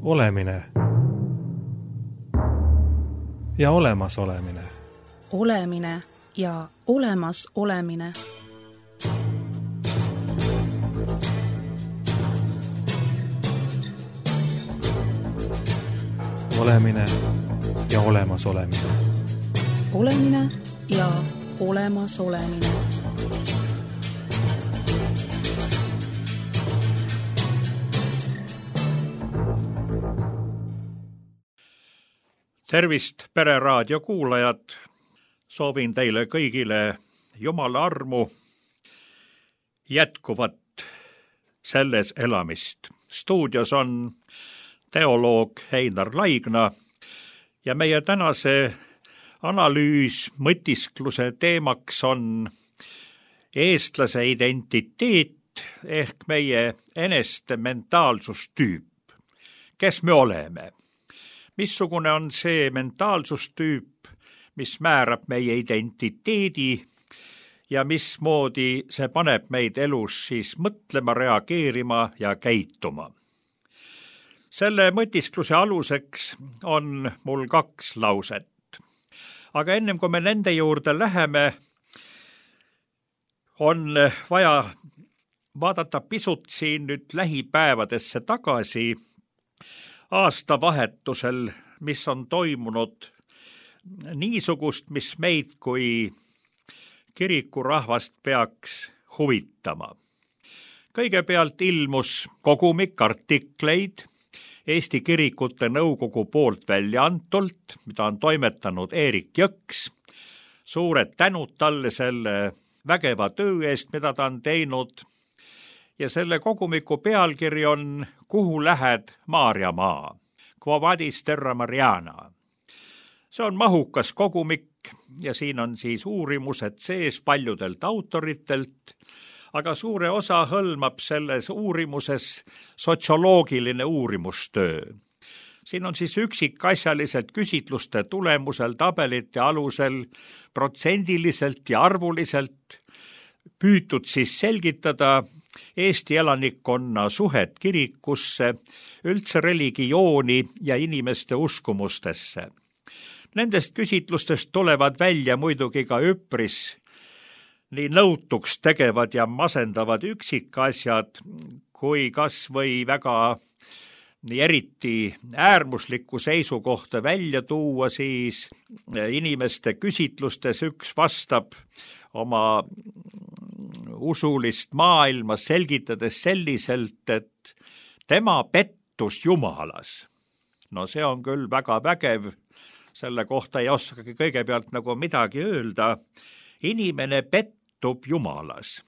Olemine ja olemasolemine. Olemine ja olemasolemine. Olemine ja olemasolemine. Olemine ja olemasolemine. Tervist, Pereraadio kuulajad! Soovin teile kõigile Jumala armu, jätkuvat selles elamist. Stuudios on teoloog Einar Laigna ja meie tänase analüüs, mõtiskluse teemaks on eestlase identiteet ehk meie eneste mentaalsustüüp. Kes me oleme? Missugune on see mentaalsustüüp, mis määrab meie identiteedi ja mismoodi see paneb meid elus siis mõtlema, reageerima ja käituma? Selle mõtiskluse aluseks on mul 2 lauset. Aga ennem kui me nende juurde läheme, on vaja vaadata pisut siin nüüd lähipäevadesse tagasi, aastavahetusel, mis on toimunud niisugust, mis meid kui kirikurahvast peaks huvitama. Kõigepealt ilmus kogumik artikleid Eesti Kirikute Nõukogu poolt välja antult, mida on toimetanud Eerik Jõks. Suured tänud talle selle vägeva töö eest, mida ta on teinud. Ja selle kogumiku pealkiri on Kuhu lähed, Maarjamaa? Quo vadis terra Mariana? See on mahukas kogumik ja siin on siis uurimused sees paljudelt autoritelt, aga suure osa hõlmab selles uurimuses sotsioloogiline uurimustöö. Siin on siis üksikasjaliselt küsitluste tulemusel, tabelite alusel, protsendiliselt ja arvuliselt püütud siis selgitada Eesti elanikkonna suhet kirikusse, üldse religiooni ja inimeste uskumustesse. Nendest küsitlustest tulevad välja muidugi ka üpris nii nõutuks tegevad ja masendavad üksikasjad, kui kas või väga nii eriti äärmuslikku seisukohta välja tuua, siis inimeste küsitlustes üks vastab oma usulist maailma selgitades selliselt, et tema pettus Jumalas. No see on küll väga vägev, selle kohta ei oskagi kõigepealt nagu midagi öelda. Inimene pettub Jumalas.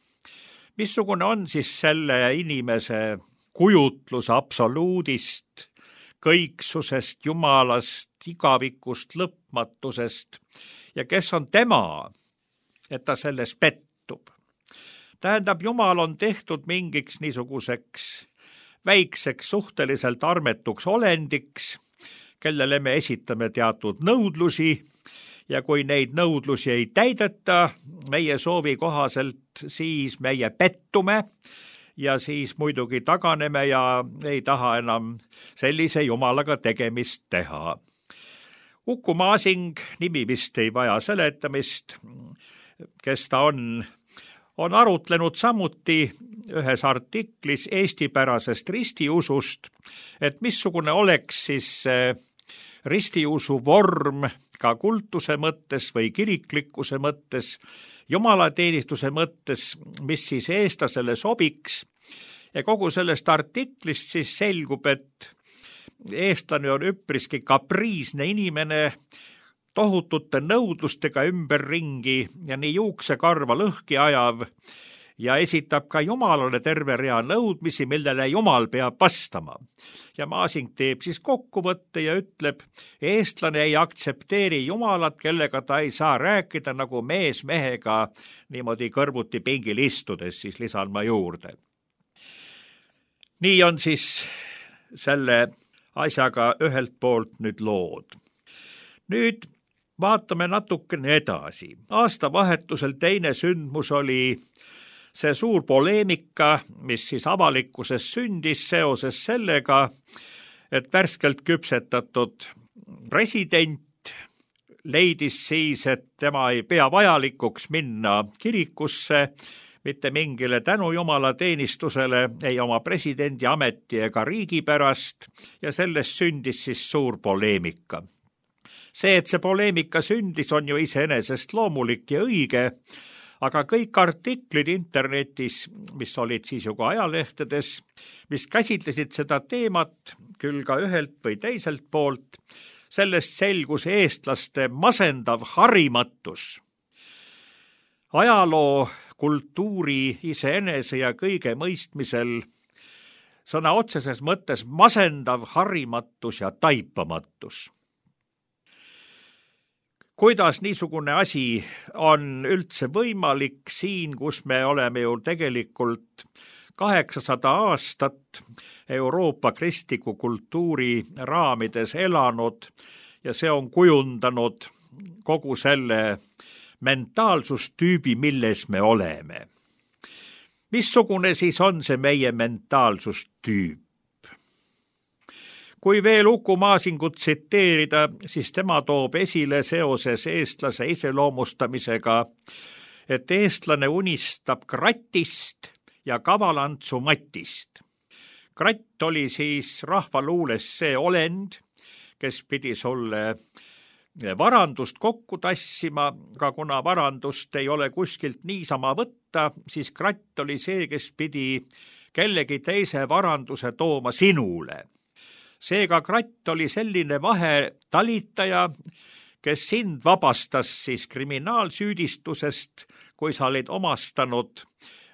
Missugune on siis selle inimese kujutlus absoluudist, kõiksusest, Jumalast, igavikust, lõpmatusest ja kes on tema, et ta selles pettub? Tähendab, Jumal on tehtud mingiks niisuguseks väikseks suhteliselt armetuks olendiks, kellele me esitame teatud nõudlusi ja kui neid nõudlusi ei täideta meie soovi kohaselt, siis meie pettume ja siis muidugi taganeme ja ei taha enam sellise Jumalaga tegemist teha. Uku Masing, nimi vist ei vaja seletamist, kes ta on arutlenud samuti ühes artiklis eestipärasest ristiusust, et missugune oleks siis ristiusu vorm ka kultuse mõttes või kiriklikkuse mõttes, jumalateenistuse mõttes, mis siis eestlasele sobiks. Ja kogu sellest artiklist siis selgub, et eestlane on üpriski kapriisne inimene, tohutute nõudlustega ümberringi ja nii juuksekarva lõhki ajav ja esitab ka Jumalale terve rea nõudmisi, millele Jumal peab vastama. Ja Masing teeb siis kokkuvõtte ja ütleb, eestlane ei aktsepteeri Jumalat, kellega ta ei saa rääkida nagu mees mehega niimoodi kõrvuti pingil istudes, siis lisan ma juurde. Nii on siis selle asjaga ühelt poolt nüüd lood. Nüüd vaatame natukene edasi. Aastavahetusel teine sündmus oli see suur poleemika, mis siis avalikkuses sündis seoses sellega, et värskelt küpsetatud president leidis siis, et tema ei pea vajalikuks minna kirikusse mitte mingile tänujumala teenistusele, ei oma presidendi ameti ega riigi pärast, ja sellest sündis siis suur poleemika. See, et see poleemika sündis, on ju iseenesest loomulik ja õige, aga kõik artiklid internetis, mis olid siis ju ka ajalehtedes, mis käsitlesid seda teemat, küll ka ühelt või teiselt poolt, sellest selgus eestlaste masendav harimatus. Ajaloo, kultuuri, iseenese ja kõige mõistmisel sõna otseses mõttes masendav harimatus ja taipamatus. Kuidas niisugune asi on üldse võimalik siin, kus me oleme ju tegelikult 800 aastat Euroopa kristliku kultuuri raamides elanud ja see on kujundanud kogu selle mentaalsustüübi, milles me oleme. Missugune siis on see meie mentaalsustüüp? Kui veel Uku Masingut tsiteerida, siis tema toob esile seoses eestlase iseloomustamisega, et eestlane unistab krattist ja kavalantsu matist. Kratt oli siis rahvaluules see olend, kes pidi sulle varandust kokku tassima, aga kuna varandust ei ole kuskilt niisama võtta, siis kratt oli see, kes pidi kellegi teise varanduse tooma sinule. Seega kratt oli selline vahetalitaja, kes sind vabastas siis kriminaalsüüdistusest, kui sa olid omastanud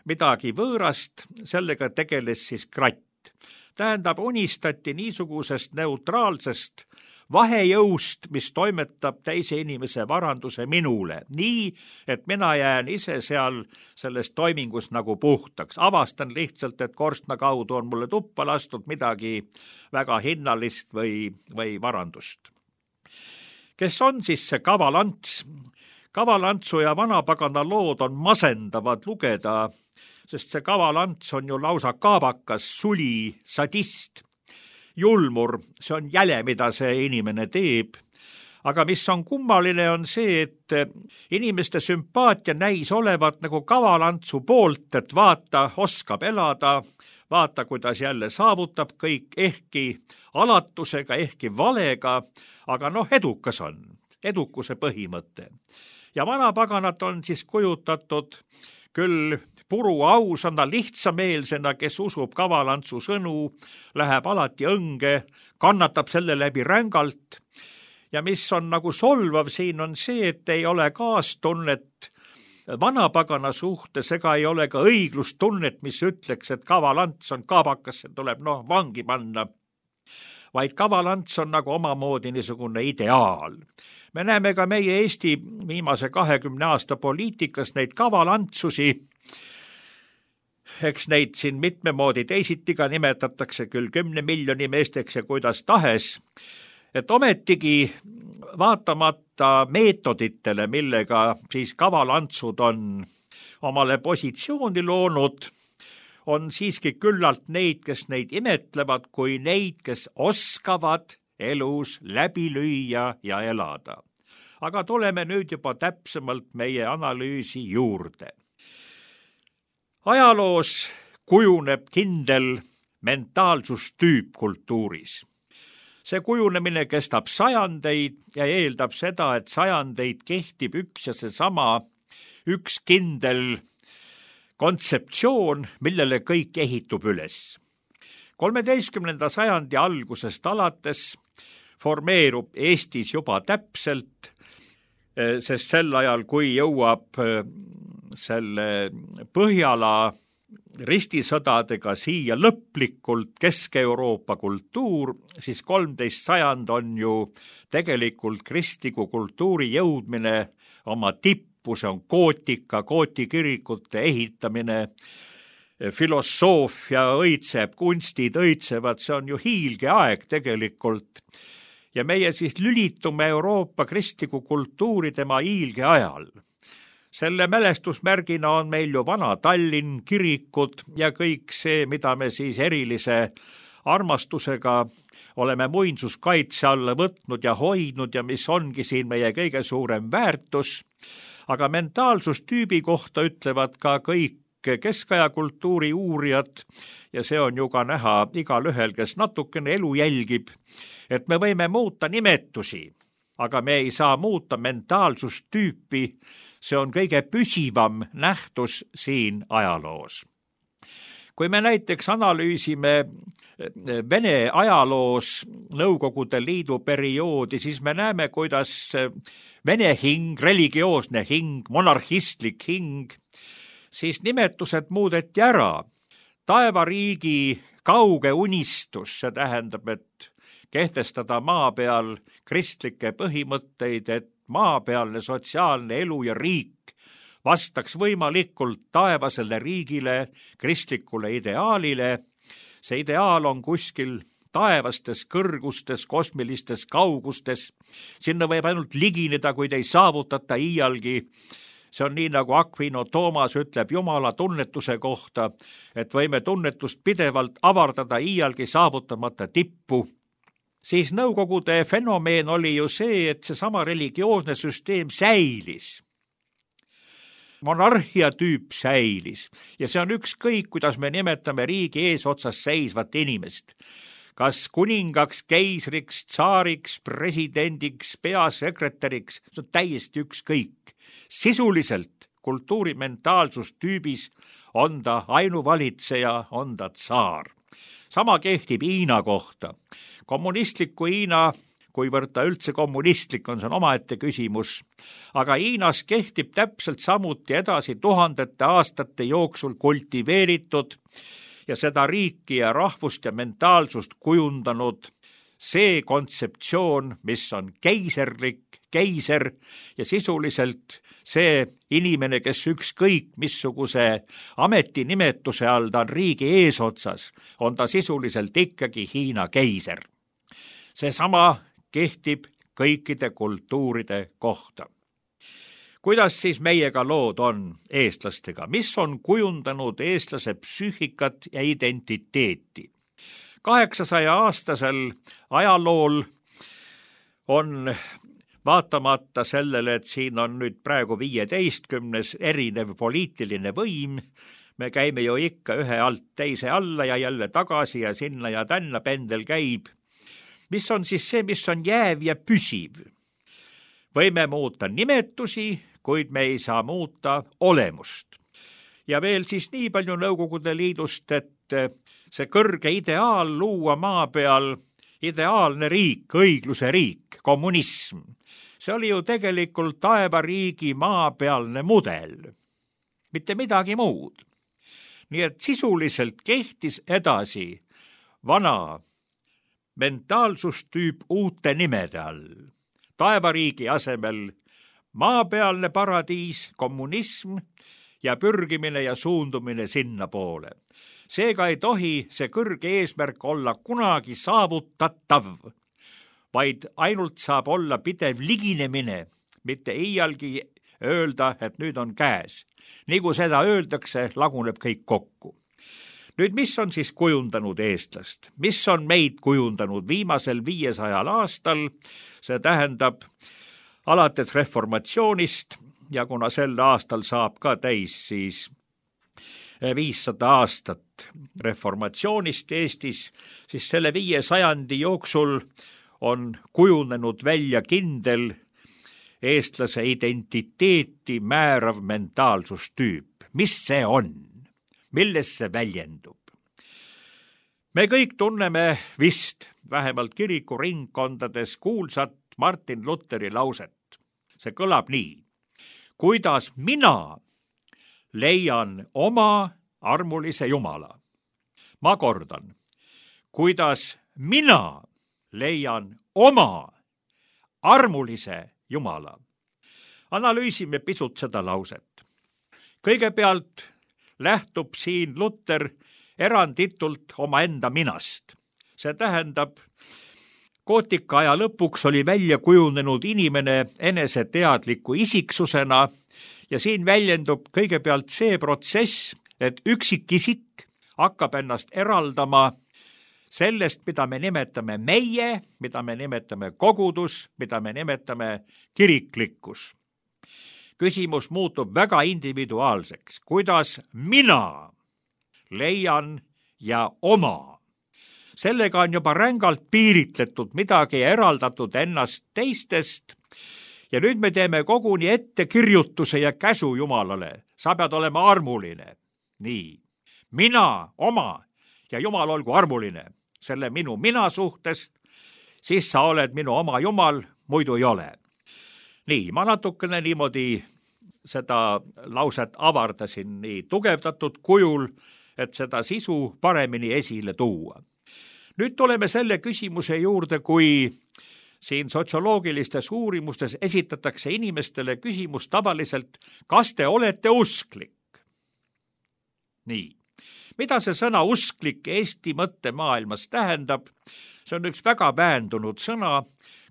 midagi võõrast, sellega tegeles siis kratt. Tähendab, unistati niisugusest neutraalsest vahejõust, mis toimetab teise inimese varanduse minule, nii, et mina jään ise seal selles toimingus nagu puhtaks. Avastan lihtsalt, et korstna kaudu on mulle tuppa lastud midagi väga hinnalist või varandust. Kes on siis see kavalants? Kavalantsu ja vanapagana lood on masendavad lugeda, sest see kavalants on ju lausa kaabakas, suli, sadist. Julmur, see on jäle, mida see inimene teeb. Aga mis on kummaline, on see, et inimeste sümpaatia näis olevat nagu kavalantsu poolt, et vaata, oskab elada, vaata, kuidas jälle saavutab kõik, ehkki alatusega, ehkki valega, aga edukas on, edukuse põhimõte. Ja vanapaganat on siis kujutatud küll puru ausana, lihtsameelsena, kes usub kavalantsu sõnu, läheb alati õnge, kannatab selle läbi rängalt. Ja mis on nagu solvav siin on see, et ei ole kaastunnet vanapagana suhtes, ega ei ole ka õiglustunnet, mis ütleks, et kavalants on kaabakas, see tuleb vangi panna. Vaid kavalants on nagu omamoodi niisugune ideaal. Me näeme ka meie Eesti viimase 20 aasta poliitikas neid kavalantsusi, eks neid siin mitme moodi teisitiga nimetatakse küll 10 miljoni meesteks ja kuidas tahes, et ometigi vaatamata meetoditele, millega siis kavalantsud on omale positsiooni loonud, on siiski küllalt neid, kes neid imetlevad, kui neid, kes oskavad elus läbi lüüa ja elada. Aga tuleme nüüd juba täpsemalt meie analüüsi juurde. Ajaloos kujuneb kindel mentaalsustüüp kultuuris. See kujunemine kestab sajandeid ja eeldab seda, et sajandeid kehtib üks ja seesama üks kindel kontseptsioon, millele kõik ehitub üles. 13. sajandi algusest alates formeerub Eestis juba täpselt, sest sel ajal, kui jõuab selle Põhjala ristisõdadega siia lõplikult Kesk-Euroopa kultuur, siis 13. sajand on ju tegelikult kristliku kultuuri jõudmine oma tippu, see on gootika, gootikirikute ehitamine, filosoofia õitseb, kunstid õitsevad, see on ju hiilgeaeg tegelikult. Ja meie siis lülitume Euroopa kristliku kultuuri tema hiilge ajal. Selle mälestusmärgina on meil ju vana Tallinn, kirikud ja kõik see, mida me siis erilise armastusega oleme muinsuskaitse alla võtnud ja hoidnud ja mis ongi siin meie kõige suurem väärtus, aga mentaalsustüübi kohta ütlevad ka kõik keskaja kultuuri uurijad ja see on ju ka näha igal ühel, kes natukene elu jälgib, et me võime muuta nimetusi, aga me ei saa muuta mentaalsustüüpi, see on kõige püsivam nähtus siin ajaloos. Kui me näiteks analüüsime Vene ajaloos Nõukogude Liidu perioodi, siis me näeme, kuidas Vene hing, religioosne hing, monarhistlik hing, siis nimetused muudeti ära. Taevariigi kauge unistus, see tähendab, et kehtestada maa peal kristlikke põhimõtteid, et maapealne sotsiaalne elu ja riik vastaks võimalikult taevasele riigile, kristlikule ideaalile. See ideaal on kuskil taevastes kõrgustes, kosmilistes kaugustes. Sinna võib ainult ligineda, kuid ei saavutata iialgi. See on nii, nagu Aquino Toomas ütleb Jumala tunnetuse kohta, et võime tunnetust pidevalt avardada iialgi saavutamata tippu. Siis Nõukogude fenomeen oli ju see, et seesama religioosne süsteem säilis. Monarhia tüüp säilis ja see on ükskõik, kuidas me nimetame riigi eesotsas seisvat inimest. Kas kuningaks, keisriks, tsaariks, presidendiks, peasekretäriks, see on täiesti ükskõik. Sisuliselt kultuurimentaalsustüübis on ta ainuvalitseja, on ta tsaar. Sama kehtib Hiina kohta. Kommunistliku Hiina, kuivõrd ta üldse kommunistlik on, see on omaette küsimus, aga Hiinas kehtib täpselt samuti edasi tuhandete aastate jooksul kultiveeritud ja seda riiki ja rahvust ja mentaalsust kujundanud see kontseptsioon, mis on keiserlik, keiser ja sisuliselt see inimene, kes ükskõik missuguse ametinimetuse all ta on riigi eesotsas, on ta sisuliselt ikkagi Hiina keiser. Seesama kehtib kõikide kultuuride kohta. Kuidas siis meiega lood on eestlastega? Mis on kujundanud eestlase psüühikat ja identiteeti? 800-aastasel ajalool on vaatamata sellele, et siin on nüüd praegu 15 erinev poliitiline võim, me käime ju ikka ühe alt teise alla ja jälle tagasi ja sinna ja tänna pendel käib. Mis on siis see, mis on jääv ja püsiv? Võime muuta nimetusi, kuid me ei saa muuta olemust. Ja veel siis nii palju Nõukogude Liidust, et see kõrge ideaal luua maa peal ideaalne riik, õigluse riik, kommunism. See oli ju tegelikult taevariigi maapealne mudel, mitte midagi muud. Nii et sisuliselt kehtis edasi vana mentaalsustüüp uute nimede all. Taevariigi asemel maapealne paradiis, kommunism ja pürgimine ja suundumine sinna poole. Seega ei tohi see kõrge eesmärk olla kunagi saavutatav, vaid ainult saab olla pidev liginemine, mitte iialgi öelda, et nüüd on käes. Nii kui seda öeldakse, laguneb kõik kokku. Nüüd, mis on siis kujundanud eestlast? Mis on meid kujundanud viimasel 500 aastal? See tähendab alates reformatsioonist ja kuna sel aastal saab ka täis siis 500 aastat reformatsioonist Eestis, siis selle 500 jooksul on kujunenud välja kindel eestlase identiteeti määrav mentaalsustüüp. Mis see on? Milles see väljendub? Me kõik tunneme vist vähemalt kirikuringkondades kuulsat Martin Lutheri lauset. See kõlab nii. Kuidas mina leian oma armulise Jumala? Ma kordan. Kuidas mina leian oma armulise Jumala? Analüüsime pisut seda lauset. Kõigepealt lähtub siin Luther eranditult omaenda minast. See tähendab, gootika aja lõpuks oli välja kujunenud inimene eneseteadliku isiksusena ja siin väljendub kõigepealt see protsess, et üksikisik hakkab ennast eraldama sellest, mida me nimetame meie, mida me nimetame kogudus, mida me nimetame kiriklikkus. Küsimus muutub väga individuaalseks, kuidas mina leian ja oma. Sellega on juba rängalt piiritletud midagi ja eraldatud ennast teistest. Ja nüüd me teeme koguni ettekirjutuse ja käsu Jumalale. Sa pead olema armuline. Nii, mina, oma ja Jumal olgu armuline selle minu mina suhtes, siis sa oled minu oma Jumal, muidu ei ole. Nii, ma natukene niimoodi seda lauset avardasin nii tugevdatud kujul, et seda sisu paremini esile tuua. Nüüd tuleme selle küsimuse juurde, kui siin sotsioloogilistes uurimustes esitatakse inimestele küsimus tavaliselt, kas te olete usklik? Nii, mida see sõna usklik Eesti mõttemaailmas tähendab? See on üks väga väändunud sõna,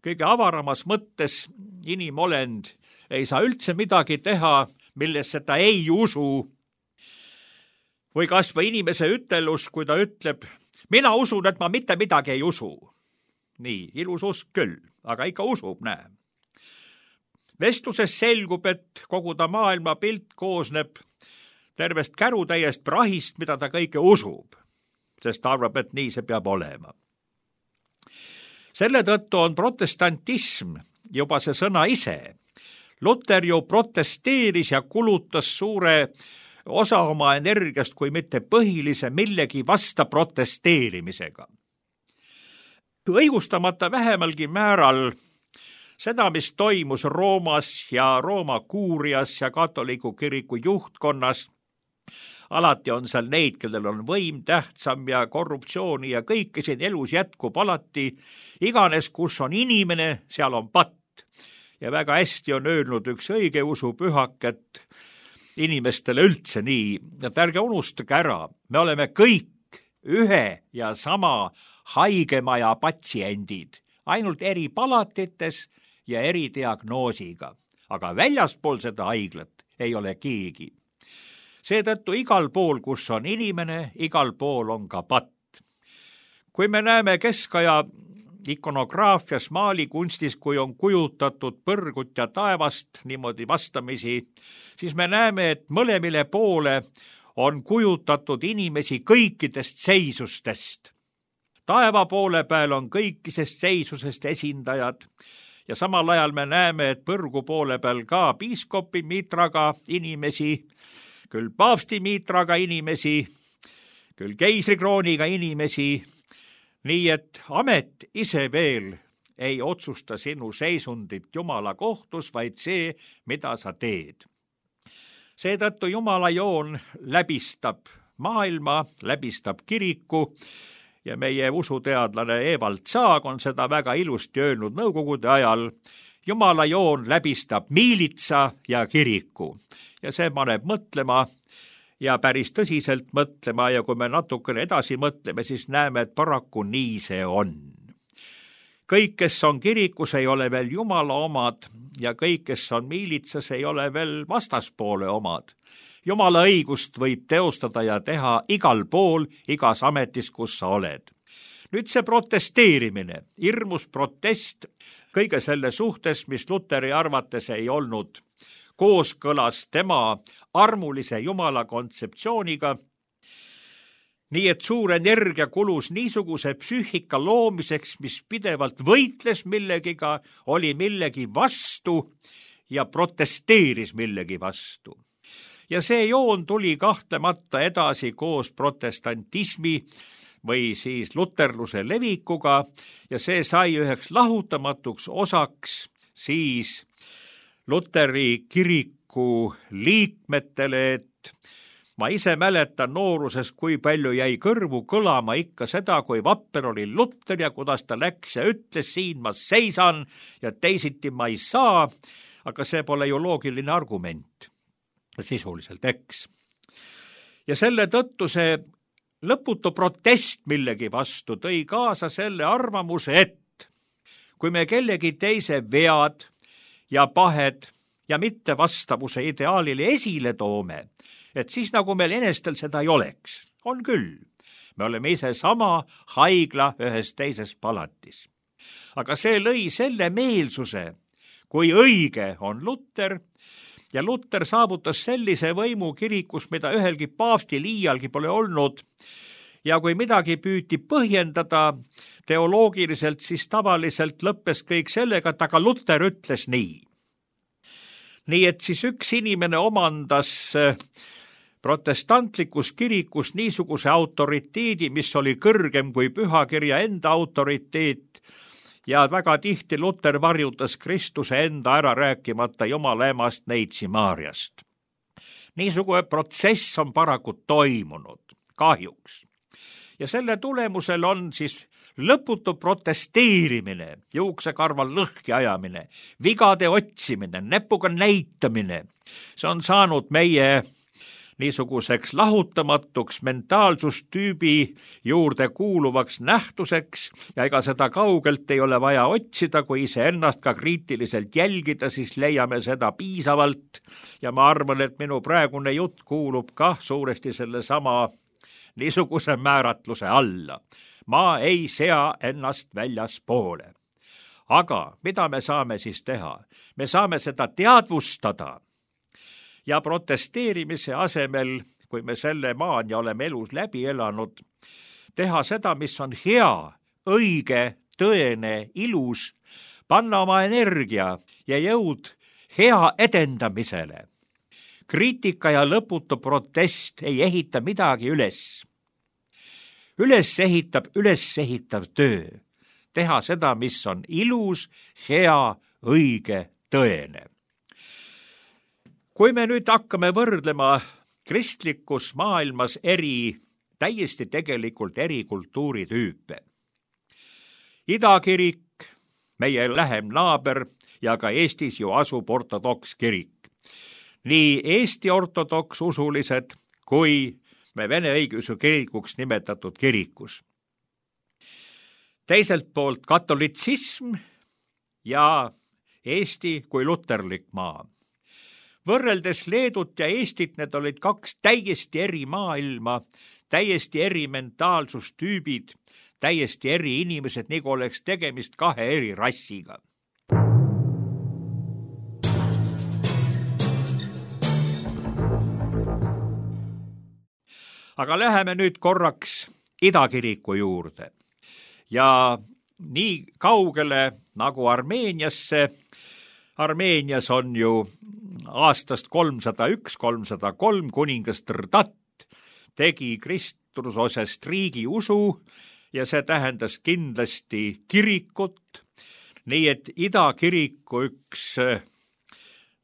kõige avaramas mõttes inimolend ei saa üldse midagi teha, millesse ta ei usu. Või kas või inimese ütelus, kui ta ütleb, mina usun, et ma mitte midagi ei usu. Nii, ilus usk küll, aga ikka usub, näe. Vestluses selgub, et kogu ta maailmapilt koosneb tervest kärutäiest prahist, mida ta kõike usub, sest ta arvab, et nii see peab olema. Selle tõttu on protestantism juba see sõna ise. Luter ju protesteeris ja kulutas suure osa oma energiast, kui mitte põhilise millegi vasta protesteerimisega. Õigustamata vähemalgi määral seda, mis toimus Roomas ja Rooma kuurias ja katoliku kiriku juhtkonnas, alati on seal neid, kellel on võim tähtsam ja korruptsiooni ja kõike siin elus jätkub alati, iganes kus on inimene, seal on patt. Ja väga hästi on öelnud üks õigeusu pühak, et inimestele üldse nii, et ärge unustage ära, me oleme kõik ühe ja sama haigemaja patsiendid, ainult eri palatites ja eri diagnoosiga, aga väljaspool seda haiglat ei ole keegi. Seetõttu igal pool, kus on inimene, igal pool on ka patt. Kui me näeme keskaja ikonograafias, maalikunstis, kui on kujutatud põrgut ja taevast niimoodi vastamisi, siis me näeme, et mõlemile poole on kujutatud inimesi kõikidest seisustest. Taeva poole peal on kõikidest seisusest esindajad ja samal ajal me näeme, et põrgu poole peal ka piiskopi miitraga inimesi, küll paavsti miitraga inimesi, küll keisrikrooniga inimesi, nii et amet ise veel ei otsusta sinu seisundit Jumala kohtus, vaid see, mida sa teed. Seetõttu Jumala joon läbistab maailma, läbistab kiriku ja meie usuteadlane Evald Zaag on seda väga ilusti öelnud nõukogude ajal. Jumala joon läbistab miilitsa ja kiriku ja see paneb mõtlema ja päris tõsiselt mõtlema ja kui me natukene edasi mõtleme, siis näeme, et paraku nii see on. Kõik, kes on kirikus, ei ole veel Jumala omad ja kõik, kes on miilitsas, ei ole veel vastaspoole omad. Jumala õigust võib teostada ja teha igal pool, igas ametis, kus sa oled. Nüüd see protesteerimine, hirmus protest kõige selle suhtes, mis Luteri arvates ei olnud kooskõlas tema armulise Jumala kontseptsiooniga, nii et suur energia kulus niisuguse psüühika loomiseks, mis pidevalt võitles millegiga, oli millegi vastu ja protesteeris millegi vastu. Ja see joon tuli kahtlemata edasi koos protestantismi või siis luterluse levikuga ja see sai üheks lahutamatuks osaks siis Luteri kiriku liikmetele, et ma ise mäletan nooruses, kui palju jäi kõrvu kõlama ikka seda, kui vapper oli Luter ja kuidas ta läks ja ütles, siin ma seisan ja teisiti ma ei saa, aga see pole ju loogiline argument, sisuliselt, eks. Ja selle tõttu see lõputu protest millegi vastu tõi kaasa selle arvamuse, et kui me kellegi teise vead ja pahed ja mittevastavuse ideaalile esile toome, et siis nagu meil enestel seda ei oleks. On küll, me oleme ise sama haigla ühes teises palatis. Aga see lõi selle meelsuse, kui õige on Luter, ja Luter saavutas sellise võimu kirikus, mida ühelgi paavstil iialgi pole olnud, ja kui midagi püüti põhjendada teoloogiliselt, siis tavaliselt lõppes kõik sellega, et aga Luter ütles nii. Nii et siis üks inimene omandas protestantlikus kirikus niisuguse autoriteedi, mis oli kõrgem kui pühakirja enda autoriteet, ja väga tihti Luter varjutas Kristuse enda ära, rääkimata Jumala emast Neitsi Maarjast. Niisugune protsess on paraku toimunud, kahjuks. Ja selle tulemusel on siis lõputu protesteerimine, juuksekarval lõhki ajamine, vigade otsimine, näpuga näitamine. See on saanud meie niisuguseks lahutamatuks mentaalsustüübi juurde kuuluvaks nähtuseks ja ega seda kaugelt ei ole vaja otsida, kui iseennast ka kriitiliselt jälgida, siis leiame seda piisavalt ja ma arvan, et minu praegune jutt kuulub ka suuresti sellesama niisuguse määratluse alla. Ma ei sea ennast väljaspoole. Aga mida me saame siis teha? Me saame seda teadvustada ja protesteerimise asemel, kui me selle maani oleme elus läbi elanud, teha seda, mis on hea, õige, tõene, ilus, panna oma energia ja jõud hea edendamisele. Kriitika ja lõputu protest ei ehita midagi üles. Üles ehitav töö. Teha seda, mis on ilus, hea, õige, tõene. Kui me nüüd hakkame võrdlema kristlikus maailmas täiesti tegelikult eri kultuuritüüpe. Idakirik, meie lähem naaber ja ka Eestis ju asub ortodoks kirik. Nii Eesti ortodoks usulised kui me Vene õigeusu kirikuks nimetatud kirikus. Teiselt poolt katolitsism ja Eesti kui luterlik maa. Võrreldes Leedut ja Eestit, need olid kaks täiesti eri maailma, täiesti eri mentaalsustüübid, täiesti eri inimesed, nagu oleks tegemist kahe eri rassiga. Aga läheme nüüd korraks Idakiriku juurde ja nii kaugele nagu Armeeniasse. Armeenias on ju aastast 301-303 kuningas Trdat tegi kristusosest riigi usu ja see tähendas kindlasti kirikut, nii et Idakiriku üks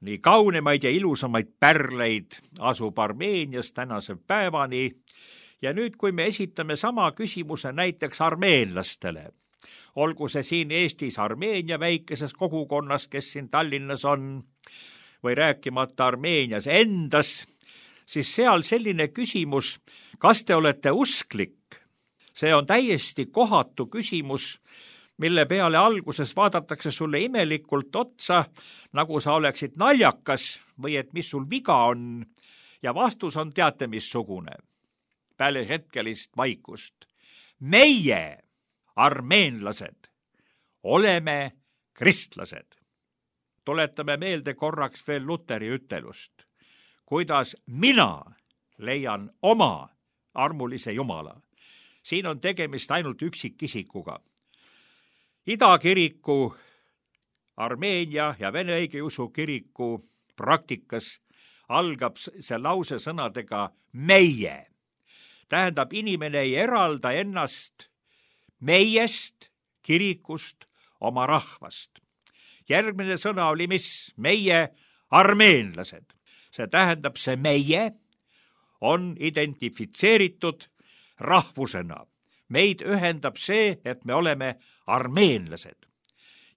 nii kaunimaid ja ilusamaid pärleid asub Armeenias tänase päevani ja nüüd, kui me esitame sama küsimuse näiteks armeenlastele, olgu see siin Eestis Armeenia väikeses kogukonnas, kes siin Tallinnas on, või rääkimata Armeenias endas, siis seal selline küsimus, kas te olete usklik? See on täiesti kohatu küsimus, mille peale alguses vaadatakse sulle imelikult otsa, nagu sa oleksid naljakas või et mis sul viga on, ja vastus on teate missugune. Peale hetkelist vaikust. Meie, armeenlased, oleme kristlased. Tuletame meelde korraks veel Luteri ütelust, kuidas mina leian oma armulise Jumala. Siin on tegemist ainult üksikisikuga. Idakiriku, Armeenia ja Vene õigeusu kiriku praktikas algab see lause sõnadega meie. Tähendab, inimene ei eralda ennast meiest, kirikust, oma rahvast. Järgmine sõna oli mis? Meie armeenlased. See tähendab, see meie on identifitseeritud rahvusena. Meid ühendab see, et me oleme armeenlased.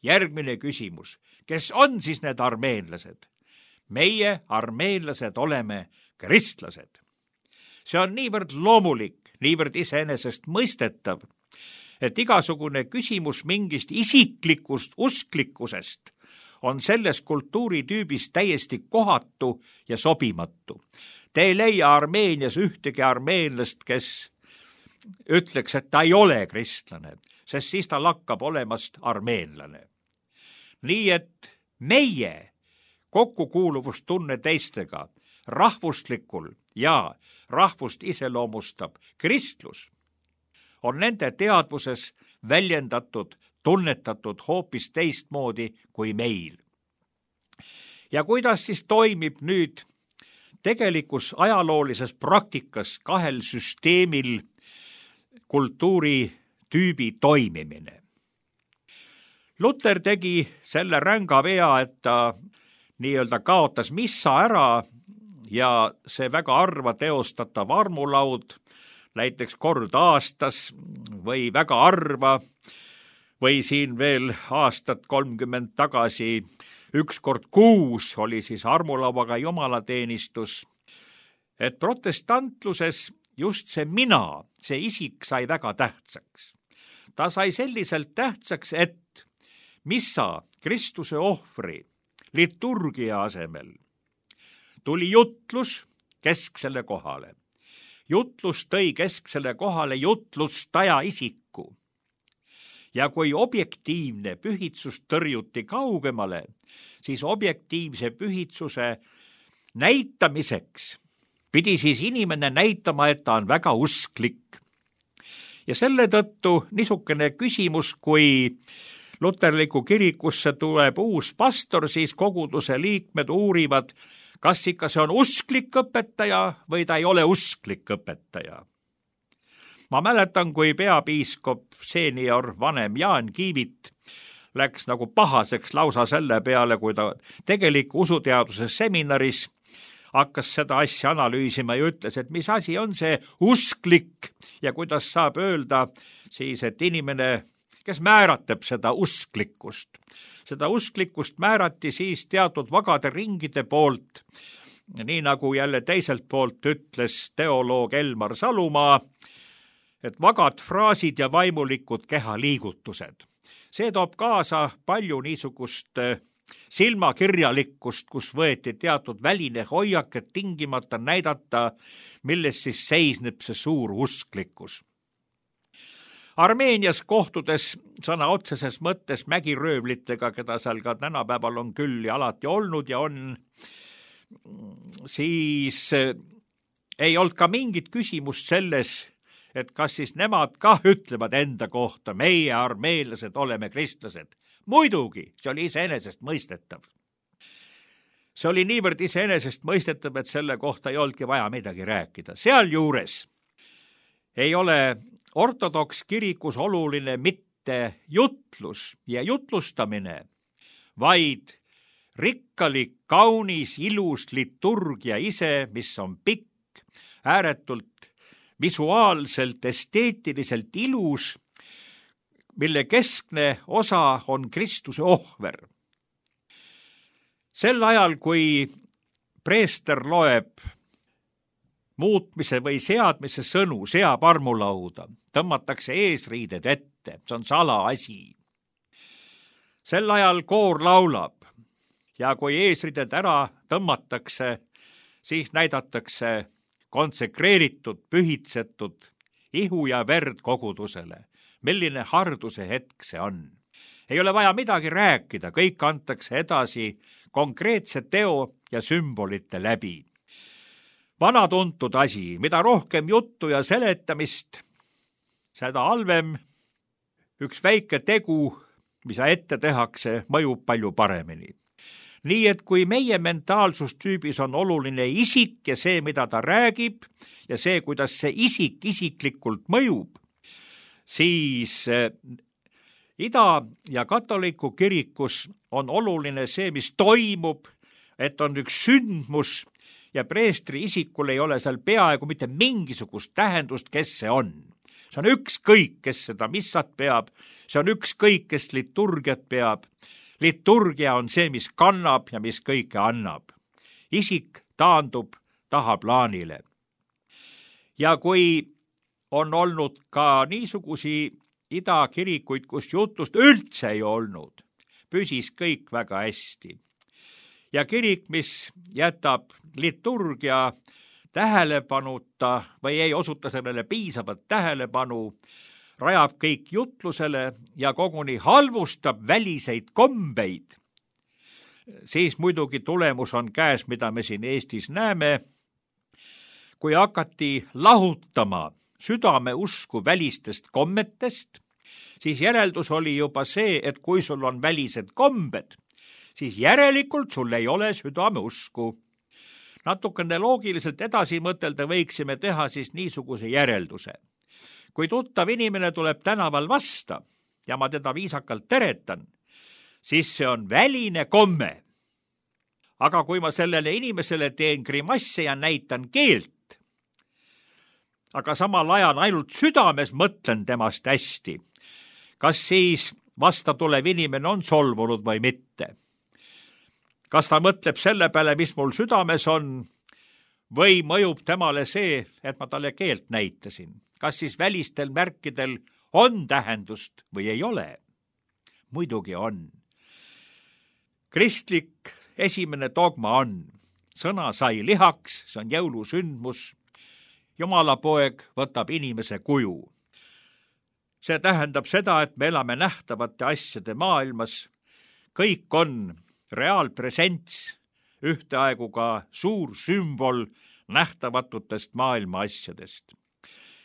Järgmine küsimus. Kes on siis need armeenlased? Meie armeenlased oleme kristlased. See on niivõrd loomulik, niivõrd iseenesest mõistetav, et igasugune küsimus mingist isiklikust usklikkusest on selles kultuuritüübis täiesti kohatu ja sobimatu. Te ei leia Armeenias ühtegi armeenlast, kes ütleks, et ta ei ole kristlane, sest siis ta lakkab olemast armeenlane. Nii et meie kokkukuuluvustunne teistega rahvuslikul ja rahvust iseloomustab kristlus on nende teadvuses väljendatud, tunnetatud hoopis teistmoodi kui meil. Ja kuidas siis toimib nüüd tegelikus ajaloolises praktikas kahel süsteemil kultuuritüübi toimimine? Luter tegi selle ränga vea, et ta nii-öelda kaotas missa ära ja see väga harva teostatav armulaud, näiteks kord aastas või väga harva, või siin veel aastat 30 tagasi, üks kord kuus oli siis armulauaga jumalateenistus. Et protestantluses just see mina, see isik sai väga tähtsaks. Ta sai selliselt tähtsaks, et missa Kristuse ohvri liturgia asemel tuli jutlus kesksele kohale. Jutlus tõi kesksele kohale jutlustaja isiku. Ja kui objektiivne pühitsus tõrjuti kaugemale, siis objektiivse pühitsuse näitamiseks pidi siis inimene näitama, et ta on väga usklik. Ja selle tõttu niisugune küsimus, kui luterliku kirikusse tuleb uus pastor, siis koguduse liikmed uurivad, kas ikka see on usklik õpetaja või ta ei ole usklik õpetaja. Ma mäletan, kui peapiiskop seenior vanem Jaan Kiivit läks nagu pahaseks lausa selle peale, kui ta tegeliku usuteaduse seminaris hakkas seda asja analüüsima ja ütles, et mis asi on see usklik ja kuidas saab öelda siis, et inimene, kes määratleb seda usklikkust. Seda usklikkust määrati siis teatud vagade ringide poolt, nii nagu jälle teiselt poolt ütles teoloog Elmar Salumaa, et vagad fraasid ja vaimulikud kehaliigutused. See toob kaasa palju niisugust silmakirjalikkust, kus võeti teatud väline hoiak, et tingimata näidata, milles siis seisneb see suur usklikkus. Armeenias kohtudes sõna otseses mõttes mägiröövlitega, keda seal ka tänapäeval on küll ja alati olnud ja on, siis ei olnud ka mingit küsimust selles, et kas siis nemad ka ütlevad enda kohta, meie armeenlased oleme kristlased. Muidugi, see oli iseenesest mõistetav. See oli niivõrd iseenesest mõistetav, et selle kohta ei olnudki vaja midagi rääkida. Sealjuures ei ole ortodoks kirikus oluline mitte jutlus ja jutlustamine, vaid rikkalik, kaunis, ilus liturgia ise, mis on pikk, ääretult visuaalselt, esteetiliselt ilus, mille keskne osa on Kristuse ohver. Sel ajal, kui preester loeb muutmise või seadmise sõnu, seab armulauda, tõmmatakse eesriided ette, see on salaasi. Sel ajal koor laulab ja kui eesriided ära tõmmatakse, siis näidatakse konsekreeritud, pühitsetud ihu ja verd kogudusele. Milline harduse hetk see on. Ei ole vaja midagi rääkida, kõik antakse edasi konkreetse teo ja sümbolite läbi. Vanatuntud asi, mida rohkem juttu ja seletamist, seda halvem üks väike tegu, mis ette tehakse, mõjub palju paremini. Nii et kui meie mentaalsustüübis on oluline isik ja see, mida ta räägib ja see, kuidas see isik isiklikult mõjub, siis ida- ja katoliku kirikus on oluline see, mis toimub, et on üks sündmus ja preestri isikul ei ole seal peaaegu mitte mingisugust tähendust, kes see on. See on ükskõik, kes seda missat peab, see on ükskõik, kes liturgiat peab. Liturgia on see, mis kannab ja mis kõike annab. Isik taandub tahaplaanile. Ja kui on olnud ka niisugusi idakirikuid, kus jutlust üldse ei olnud, püsis kõik väga hästi. Ja kirik, mis jätab liturgia tähelepanuta või ei osuta sellele piisavat tähelepanu, rajab kõik jutlusele ja koguni halvustab väliseid kombeid, siis muidugi tulemus on käes, mida me siin Eestis näeme, kui hakati lahutama südameusku välistest kommetest, siis järeldus oli juba see, et kui sul on välised kombed, siis järelikult sul ei ole südameusku. Natukene loogiliselt edasi mõtelda võiksime teha siis niisuguse järelduse. Kui tuttav inimene tuleb tänaval vasta ja ma teda viisakalt teretan, siis see on väline komme. Aga kui ma sellele inimesele teen grimasse ja näitan keelt, aga samal ajal ainult südames mõtlen temast hästi, kas siis vasta tulev inimene on solvunud või mitte? Kas ta mõtleb selle peale, mis mul südames on, või mõjub temale see, et ma talle keelt näitasin? Kas siis välistel märkidel on tähendust või ei ole? Muidugi on. Kristlik esimene dogma on, sõna sai lihaks, see on jõulusündmus, Jumala poeg võtab inimese kuju. See tähendab seda, et me elame nähtavate asjade maailmas, kõik on reaalpresents, ühteaegu ka suur sümbol nähtavatutest maailma asjadest.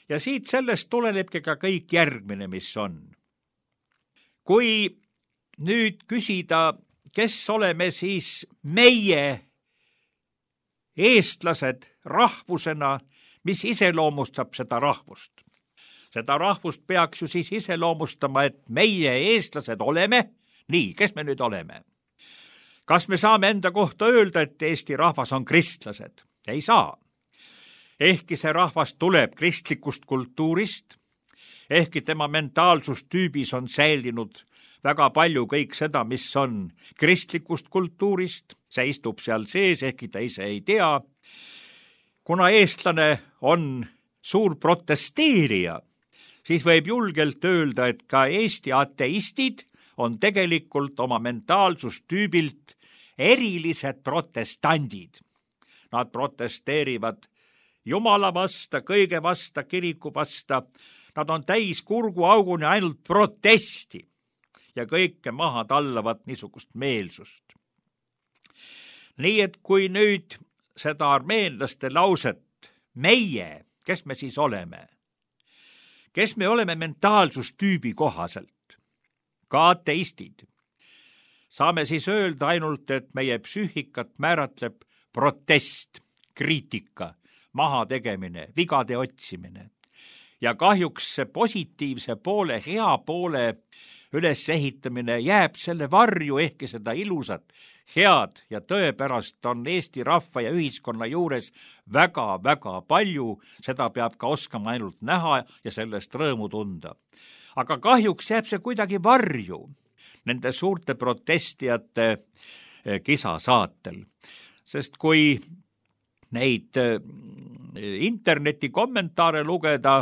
Ja siit sellest tulenebki ka kõik järgmine, mis on. Kui nüüd küsida, kes oleme siis meie eestlased rahvusena, mis iseloomustab seda rahvust? Seda rahvust peaks ju siis iseloomustama, et meie eestlased oleme, nii, kes me nüüd oleme? Kas me saame enda kohta öelda, et Eesti rahvas on kristlased? Ei saa. Ehkki see rahvas tuleb kristlikust kultuurist, ehkki tema mentaalsustüübis on säilinud väga palju kõik seda, mis on kristlikust kultuurist, see istub seal sees, ehkki ta ise ei tea. Kuna eestlane on suur protesteerija, siis võib julgelt öelda, et ka Eesti ateistid on tegelikult oma mentaalsustüübilt erilised protestandid. Nad protesteerivad Jumala vasta, kõige vasta, kiriku vasta. Nad on täis kurguauguni ainult protesti ja kõike maha tallavat niisugust meelsust. Nii et kui nüüd seda armeenlaste lauset, meie, kes me siis oleme? Kes me oleme mentaalsustüübi kohaselt? Ka ateistid. Saame siis öelda ainult, et meie psüühikat määratleb protest, kriitika, mahategemine, vigade otsimine. Ja kahjuks see positiivse poole, hea poole ülesehitamine jääb selle varju, ehkki seda ilusat, head ja tõepärast on Eesti rahva ja ühiskonna juures väga-väga palju, seda peab ka oskama ainult näha ja sellest rõõmu tunda. Aga kahjuks jääb see kuidagi varju nende suurte protestijate kisasaatel. Sest kui neid interneti kommentaare lugeda,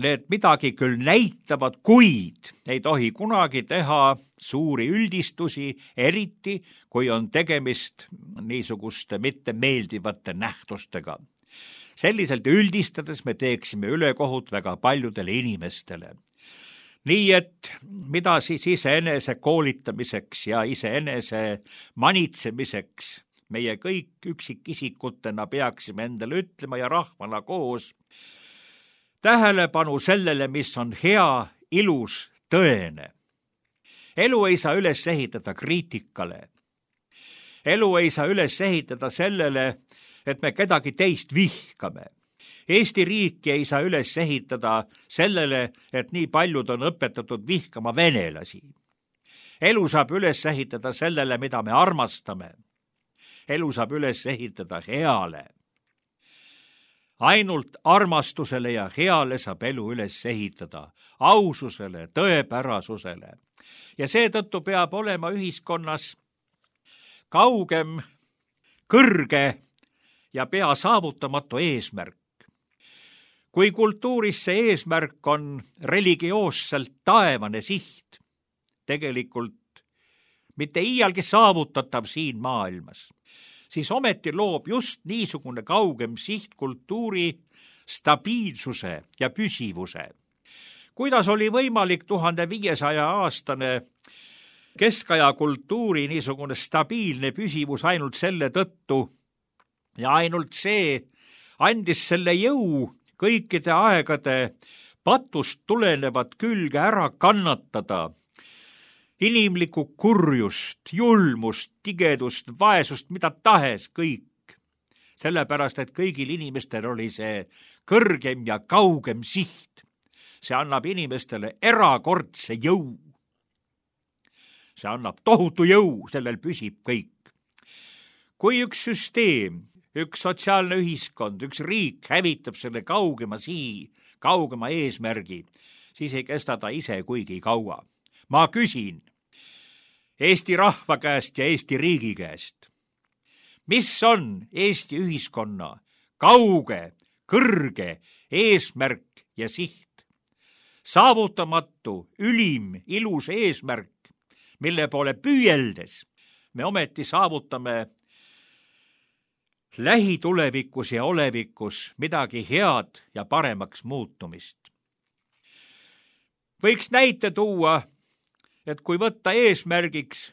need midagi küll näitavad, kuid ei tohi kunagi teha suuri üldistusi, eriti kui on tegemist niisuguste mittemeeldivate nähtustega. Selliselt üldistades me teeksime ülekohut väga paljudele inimestele. Nii et mida siis iseenese koolitamiseks ja iseenese manitsemiseks meie kõik üksikisikutena peaksime endale ütlema ja rahvana koos? Tähelepanu sellele, mis on hea, ilus, tõene. Elu ei saa üles ehitada kriitikale. Elu ei saa üles ehitada sellele, et me kedagi teist vihkame. Eesti riiki ei saa üles ehitada sellele, et nii paljud on õpetatud vihkama venelasi. Elu saab üles ehitada sellele, mida me armastame. Elu saab üles ehitada heale. Ainult armastusele ja heale saab elu üles ehitada, aususele, tõepärasusele. Ja seetõttu peab olema ühiskonnas kaugem, kõrge ja pea saavutamatu eesmärk. Kui kultuuris see eesmärk on religioosselt taevane siht, tegelikult mitte iialgi saavutatav siin maailmas, siis ometi loob just niisugune kaugem siht kultuuri stabiilsuse ja püsivuse. Kuidas oli võimalik 1500-aastane keskaja kultuuri niisugune stabiilne püsivus ainult selle tõttu ja ainult see andis selle jõu kõikide aegade patust tulenevat külge ära kannatada, inimlikku kurjust, julmust, tigedust, vaesust, mida tahes kõik. Sellepärast, et kõigil inimestel oli see kõrgem ja kaugem siht. See annab inimestele erakordse jõu. See annab tohutu jõu, sellel püsib kõik. Kui üks süsteem, üks sotsiaalne ühiskond, üks riik hävitab selle kaugema sihi, kaugema eesmärgi, siis ei kesta ta ise kuigi kaua. Ma küsin Eesti rahva käest ja Eesti riigi käest, mis on Eesti ühiskonna kauge, kõrge eesmärk ja siht? Saavutamatu, ülim, ilus eesmärk, mille poole püüeldes me ometi saavutame lähitulevikus ja olevikus midagi head ja paremaks muutumist. Võiks näite tuua, et kui võtta eesmärgiks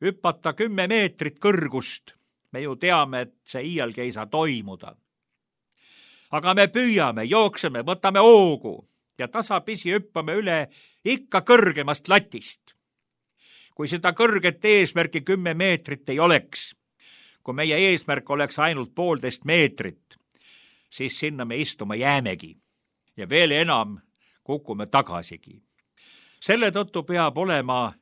hüpata 10 meetrit kõrgust, me ju teame, et see iialgi ei saa toimuda. Aga me püüame, jookseme, võtame hoogu ja tasapisi hüppame üle ikka kõrgemast latist. Kui seda kõrget eesmärki 10 meetrit ei oleks, kui meie eesmärk oleks ainult 1,5 meetrit, siis sinna me istuma jäämegi ja veel enam kukume tagasigi. Selle tõttu peab olema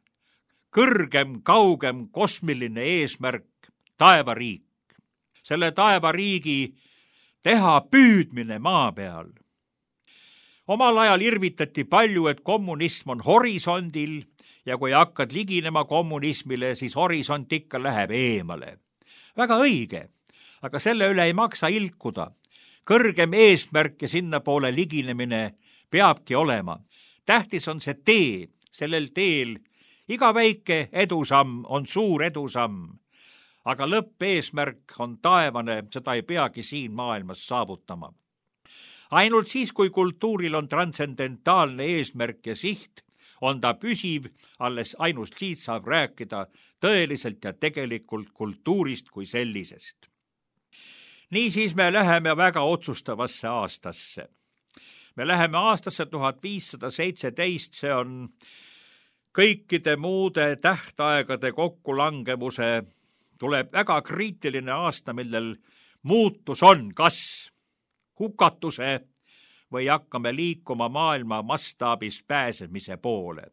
kõrgem, kaugem kosmiline eesmärk taevariik. Selle taevariigi teha püüdmine maa peal. Omal ajal irvitati palju, et kommunism on horisondil ja kui hakkad liginema kommunismile, siis horisont ikka läheb eemale. Väga õige, aga selle üle ei maksa ilkuda. Kõrgem eesmärk ja sinna poole liginemine peabki olema. Tähtis on see tee, sellel teel iga väike edusamm on suur edusamm, aga lõppeesmärk on taevane, seda ei peagi siin maailmas saavutama. Ainult siis, kui kultuuril on transcendentaalne eesmärk ja siht, on ta püsiv, alles ainult siit saab rääkida tõeliselt ja tegelikult kultuurist kui sellisest. Niisiis me läheme väga otsustavasse aastasse. Me läheme aastasse 1517, see on kõikide muude tähtaegade kokkulangevuse, tuleb väga kriitiline aasta, millel muutus on kas hukatuse või hakkame liikuma maailma mastaabis pääsemise poole.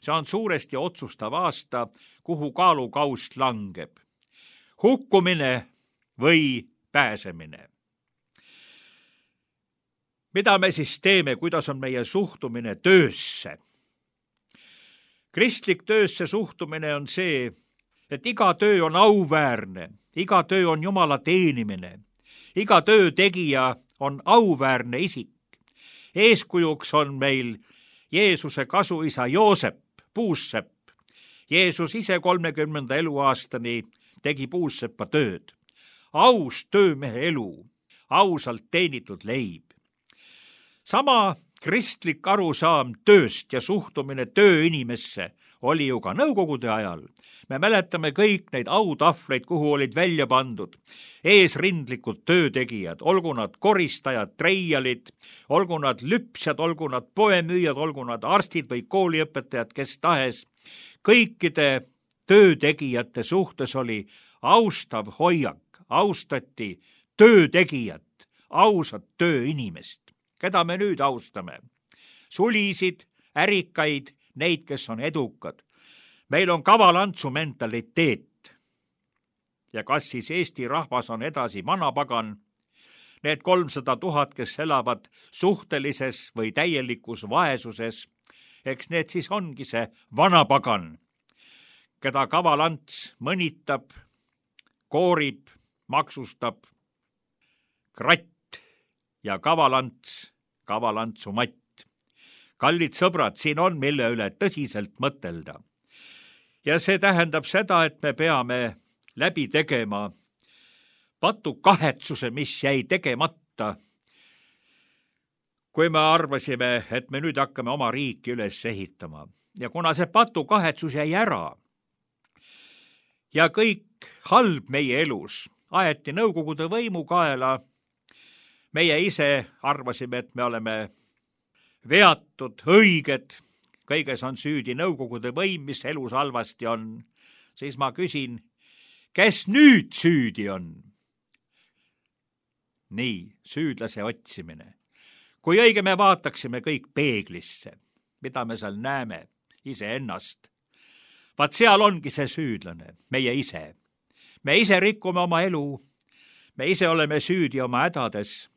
See on suuresti otsustav aasta, kuhu kaalukaust langeb. Hukkumine või pääsemine. Mida me siis teeme, kuidas on meie suhtumine töösse? Kristlik töösse suhtumine on see, et iga töö on auväärne, iga töö on Jumala teenimine, iga töö tegija on auväärne isik. Eeskujuks on meil Jeesuse kasuisa Joosep, puussepp. Jeesus ise 30. eluaastani tegi puussepa tööd. Aus töömehe elu, ausalt teenitud leib. Sama kristlik arusaam tööst ja suhtumine tööinimesse oli ju ka nõukogude ajal. Me mäletame kõik neid autahvleid, kuhu olid välja pandud eesrindlikud töötegijad, olgu nad koristajad, treialid, olgu nad lüpsjad, olgu nad poemüüjad, olgu nad arstid või kooliõpetajad, kes tahes. Kõikide töötegijate suhtes oli austav hoiak, austati töötegijat, ausat tööinimest. Keda me nüüd austame? Sulisid, ärikaid, neid, kes on edukad. Meil on kavalantsu mentaliteet. Ja kas siis Eesti rahvas on edasi vanapagan? Need 300 000, kes elavad suhtelises või täielikus vaesuses, eks need siis ongi see vanapagan, keda kavalants mõnitab, koorib, maksustab, kratt ja kavalantsu matt. Kallid sõbrad, siin on mille üle tõsiselt mõtelda. Ja see tähendab seda, et me peame läbi tegema patukahetsuse, mis jäi tegemata, kui me arvasime, et me nüüd hakkame oma riiki üles ehitama. Ja kuna see patukahetsus jäi ära ja kõik halb meie elus aeti Nõukogude võimu kaela, meie ise arvasime, et me oleme veatud, õiged, kõiges on süüdi Nõukogude võim, mis elus halvasti on, siis ma küsin, kes nüüd süüdi on? Nii, süüdlase otsimine. Kui õige me vaataksime kõik peeglisse, mida me seal näeme, iseennast, vaat seal ongi see süüdlane, meie ise. Me ise rikume oma elu, me ise oleme süüdi oma hädades,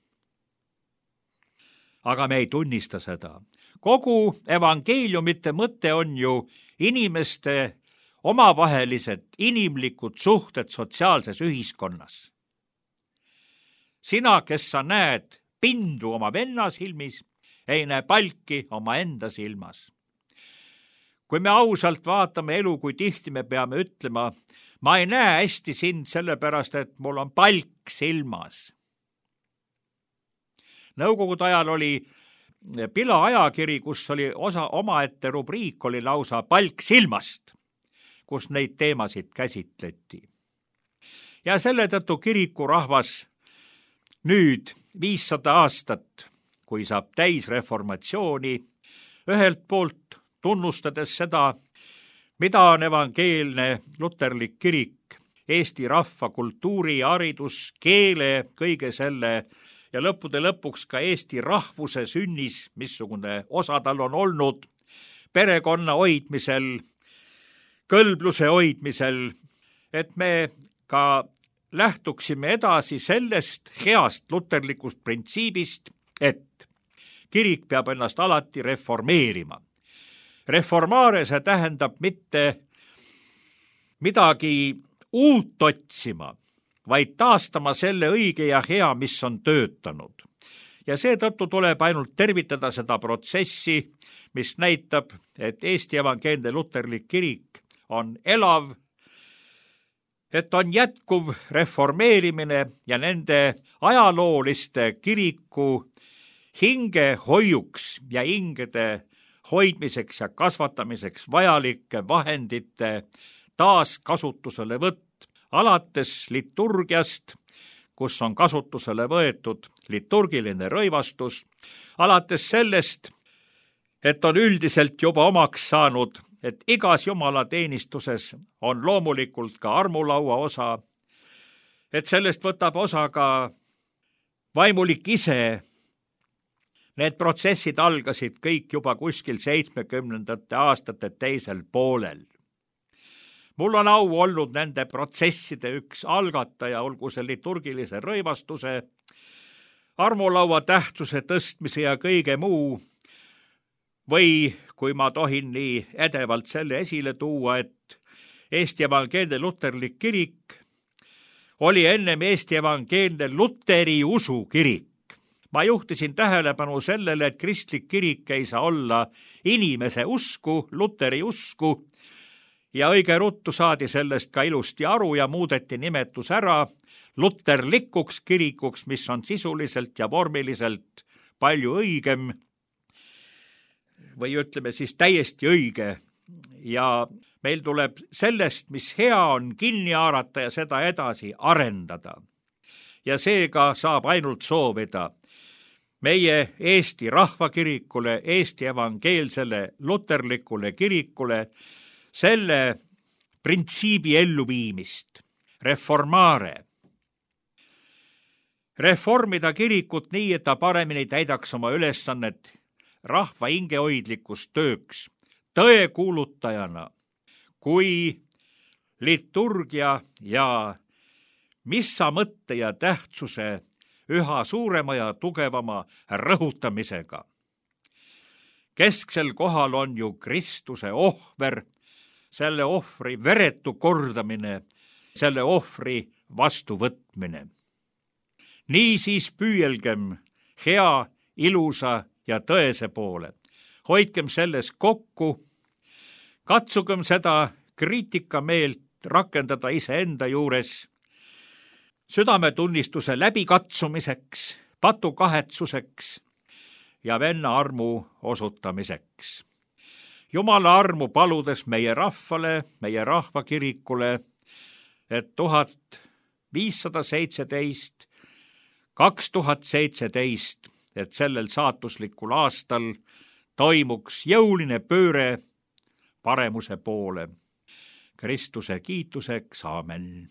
aga me ei tunnista seda. Kogu evangeeliumite mõte on ju inimeste omavahelised inimlikud suhted sotsiaalses ühiskonnas. Sina, kes sa näed pindu oma venna silmis, ei näe palki oma enda silmas. Kui me ausalt vaatame elu, kui tihti me peame ütlema, ma ei näe hästi sind sellepärast, et mul on palk silmas. Nõukogude ajal oli Pila ajakiri, kus oli omaette rubriik, oli lausa palk silmast, kus neid teemasid käsitleti. Ja selle tõttu kirikurahvas nüüd 500 aastat, kui saab täis reformatsiooni, ühelt poolt tunnustades seda, mida on evangeelne luterlik kirik, Eesti rahva kultuuri, haridus, keele, kõige selle ja lõppude lõpuks ka Eesti rahvuse sünnis, missugune osa tal on olnud, perekonna hoidmisel, kõlbluse hoidmisel, et me ka lähtuksime edasi sellest heast luterlikust printsiibist, et kirik peab ennast alati reformeerima. Reformare see tähendab mitte midagi uut otsima, vaid taastama selle õige ja hea, mis on töötanud. Ja seetõttu tuleb ainult tervitada seda protsessi, mis näitab, et Eesti evangeelne luterlik kirik on elav, et on jätkuv reformeerimine ja nende ajalooliste kiriku hingehoiuks ja hingede hoidmiseks ja kasvatamiseks vajalike vahendite taaskasutusele võtt, alates liturgiast, kus on kasutusele võetud liturgiline rõivastus, alates sellest, et on üldiselt juba omaks saanud, et igas jumalateenistuses on loomulikult ka armulaua osa, et sellest võtab osa ka vaimulik ise. Need protsessid algasid kõik juba kuskil 70. aastate teisel poolel. Mul on au olnud nende protsesside üks algataja, olgu see liturgilise rõivastuse, armulaua tähtsuse tõstmise ja kõige muu, või kui ma tohin nii edevalt selle esile tuua, et Eesti evangeelne luterlik kirik oli ennem Eesti evangeelne luteri usu kirik. Ma juhtisin tähelepanu sellele, et kristlik kirik ei saa olla inimese usku, luteri usku, ja õige ruttu saadi sellest ka ilusti aru ja muudeti nimetus ära luterlikuks kirikuks, mis on sisuliselt ja vormiliselt palju õigem või ütleme siis täiesti õige. Ja meil tuleb sellest, mis hea on, kinni haarata ja seda edasi arendada. Ja seega saab ainult soovida meie Eesti rahvakirikule, Eesti evangeelsele luterlikule kirikule selle printsiibi elluviimist, reformare. Reformida kirikut nii, et ta paremini täidaks oma ülesannet rahva hingehoidlikus tööks, tõe kuulutajana, kui liturgia ja missa mõtte ja tähtsuse üha suurema ja tugevama rõhutamisega. Kesksel kohal on ju Kristuse ohver, selle ohvri veretu kordamine, selle ohvri vastuvõtmine. Niisiis püüelgem hea, ilusa ja tõese poole. Hoidkem selles kokku, katsugem seda kriitikameelt rakendada iseenda juures, südametunnistuse läbikatsumiseks, patukahetsuseks ja venna armu osutamiseks. Jumala armu paludes meie rahvale, meie rahvakirikule, et 1517, 2017, et sellel saatuslikul aastal toimuks jõuline pööre paremuse poole. Kristuse kiituseks, aamen.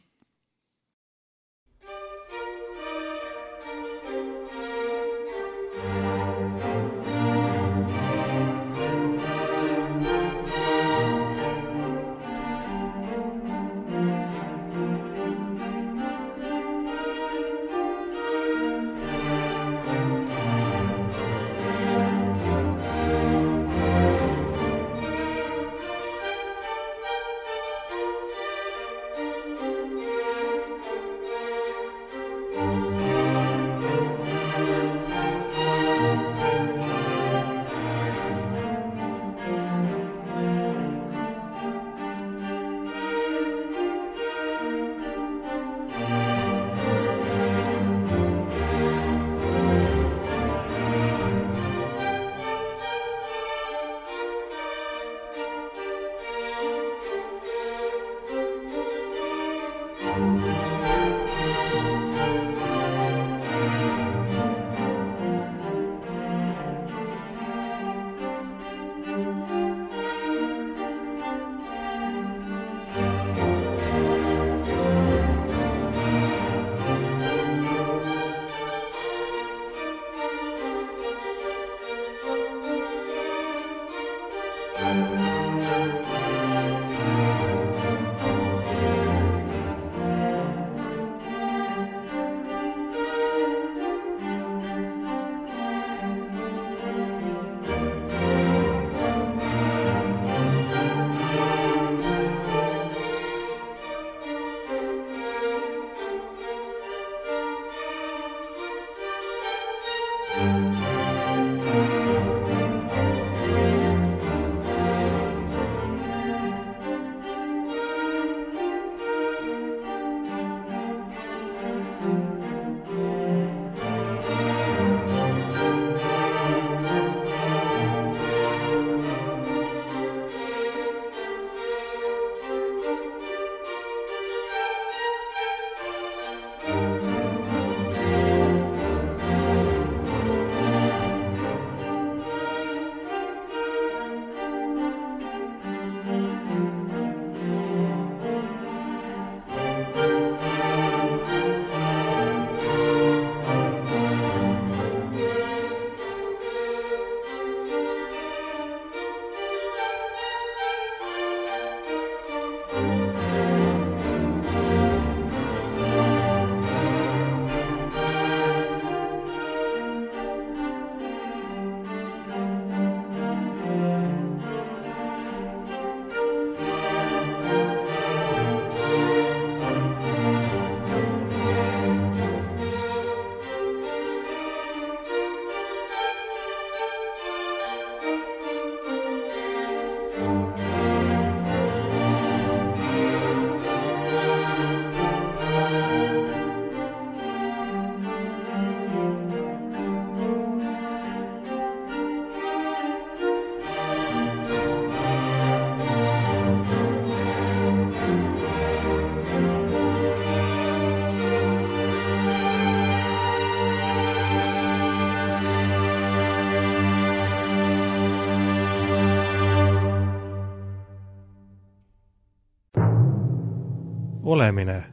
Olemine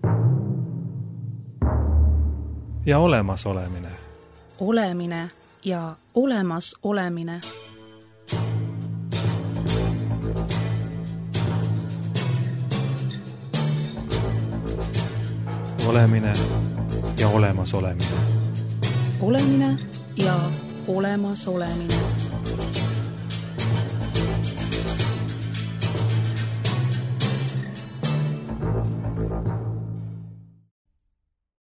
ja olemasolemine. Olemine ja olemas olemine. Olemine ja olemas olemine. Olemine ja olemas olemine.